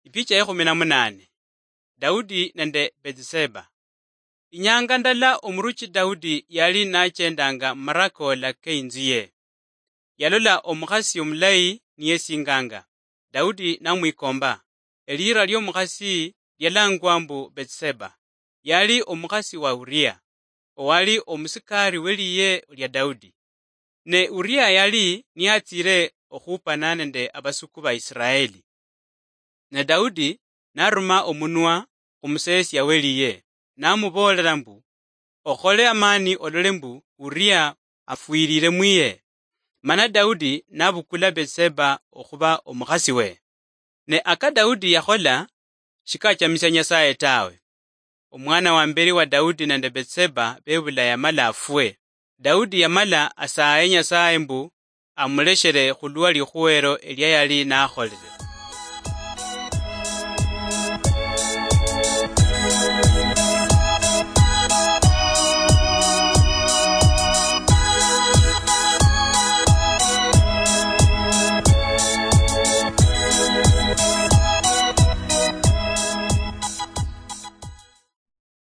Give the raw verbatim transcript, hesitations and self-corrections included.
Ipicha ya kumi na munane. Daudi nende Betseba. Inyanga ndala omuruchi Daudi yali nachendanga mumarakola keinzu ye. Yalola omukhasi omulayi niyesinganga. Daudi namwikomba. Elira liomukhasi lialangwa mbu Betseba. Yali omukhasi wa Uria, owali omusikari weliye lia Daudi. Ne Uria yali niyatsire okhupana nende abasuku ba Israeli. Ne Daudi naruma omunwa khumuseesia weliye, namuboolera mbu, "Okhole amani olole mbu Uria afwirire mwiye." Mana Daudi nabukula Betseba okhuba omukhasi we. Ne aka Daudi yakhola shikachamisia Nyasaye tawe. Omwana wa mberi wa Daudi nende Betseba bebula yamala afwe. Daudi yamala asaye Nyasaye mbu amuleshere khulwa likhuwero elia yali nakholire.